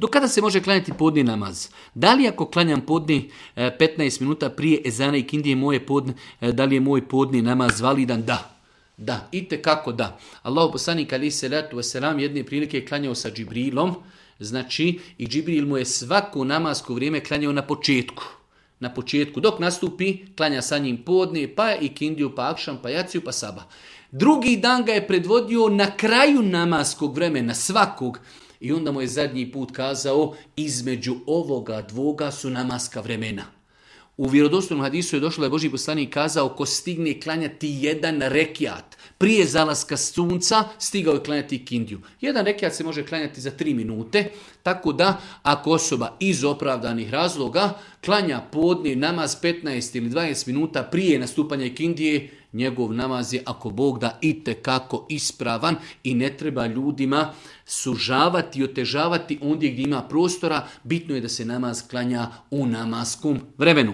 Do kada se može klanjati podni namaz? Da li ako klanjam podni 15 minuta prije ezana i kindije da li je moj podni namaz validan? Da. Da, itekako da. Allahu poslanik alejhi selatu vesselam jedne prilike je klanjao sa Džibrilom, znači i Džibril mu je svako namasko vrijeme klanjao na početku. Na početku, dok nastupi, klanja sa njim podne, pa i kindiju, pa akšam, pa jaciju, pa saba. Drugi dan ga je predvodio na kraju namaskog vremena, svakog. I onda mu je zadnji put kazao, između ovoga dvoga su namaska vremena. U vjerodostojnom hadisu je došlo da je Božji poslanik kazao, ko stigne klanjati jedan rekiat prije zalaska sunca, stigao je klanjati kindiju. Jedan rekiat se može klanjati za 3 minute, tako da ako osoba iz opravdanih razloga klanja podni namaz 15 ili 20 minuta prije nastupanja kindije, njegov namaz je, ako Bog da, itekako ispravan i ne treba ljudima sužavati i otežavati ondje gdje ima prostora. Bitno je da se namaz klanja u namaskom vremenu.